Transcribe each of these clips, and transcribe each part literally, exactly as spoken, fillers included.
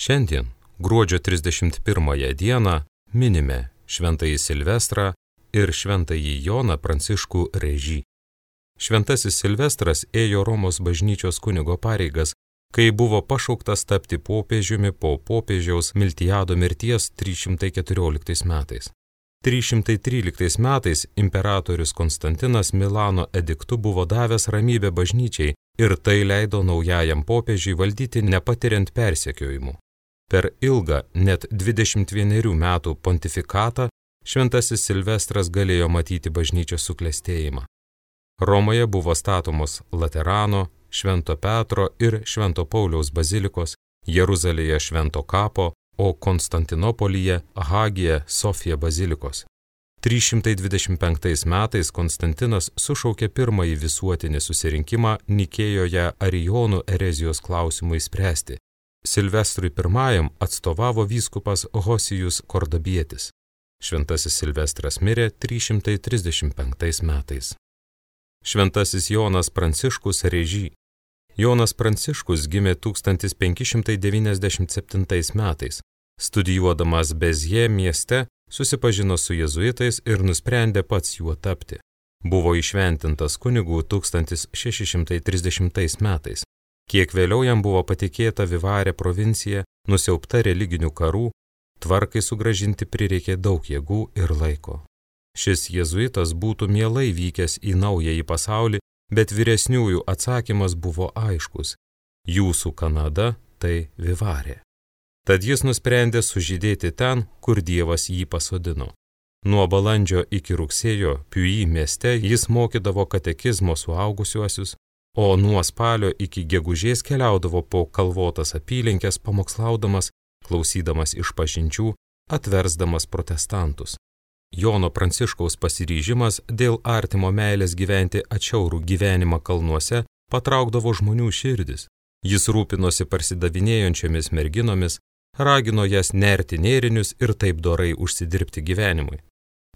Šiandien, gruodžio trisdešimt pirmąją dieną, minime Šventąjį Silvestrą ir Šventąjį Joną Pranciškų Rėžį. Šventasis Silvestras ėjo Romos bažnyčios kunigo pareigas, kai buvo pašauktas tapti popiežiumi po popiežiaus Miltiado mirties trys šimtai keturioliktais metais. trys šimtai tryliktais metais imperatorius Konstantinas Milano ediktu buvo davęs ramybę bažnyčiai ir tai leido naujajam popiežiui valdyti nepatiriant persekiojimų. Per ilgą, net dvidešimt vienerių metų pontifikatą, Šventasis Silvestras galėjo matyti bažnyčios suklestėjimą. Romoje buvo statomos Laterano, Švento Petro ir Švento Pauliaus bazilikos, Jeruzalėje Švento Kapo, o Konstantinopolyje Hagija Sofija bazilikos. trys šimtai dvidešimt penktais metais Konstantinas sušaukė pirmąjį visuotinį susirinkimą Nikėjoje Arijonų erezijos klausimui spręsti. Silvestrui pirmajam atstovavo vyskupas Hosijus Kordabietis. Šventasis Silvestras mirė trys šimtai trisdešimt penktais metais. Šventasis Jonas Pranciškus Rėžį. Jonas Pranciškus gimė tūkstantis penki šimtai devyniasdešimt septintais metais. Studijuodamas Bezje mieste, susipažino su jėzuitais ir nusprendė pats juo tapti. Buvo įšventintas kunigų tūkstantis šeši šimtai trisdešimtais metais. Kiek vėliau jam buvo patikėta Vivarė provincija, nusiaubta religinių karų, tvarkai sugrąžinti prireikė daug jėgų ir laiko. Šis jėzuitas būtų mielai vykęs į naująjį pasaulį, bet vyresniųjų atsakymas buvo aiškus. Jūsų Kanada tai Vivarė. Tad jis nusprendė sužydėti ten, kur Dievas jį pasodino. Nuo balandžio iki rugsėjo Piui mieste jis mokydavo katekizmo suaugusiuosius, o nuo spalio iki gegužės keliaudavo po kalvotas apylinkes pamokslaudamas, klausydamas išpažinčių, atversdamas protestantus. Jono Pranciškaus pasiryžimas dėl artimo meilės gyventi atšiaurų gyvenimą kalnuose patraukdavo žmonių širdis. Jis rūpinosi parsidavinėjančiomis merginomis, ragino jas nerti nėrinius ir taip dorai užsidirbti gyvenimui.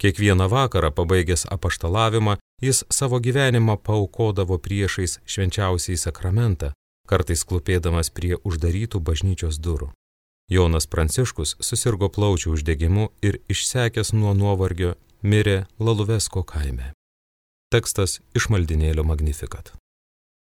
Kiekvieną vakarą pabaigęs apaštalavimą, jis savo gyvenimą paaukodavo priešais švenčiausiąjį sakramentą, kartais klūpėdamas prie uždarytų bažnyčios durų. Jonas Pranciškus susirgo plaučių uždegimu ir išsekęs nuo nuovargio mirė Laluvesko kaime. Tekstas iš maldynėlio Magnificat.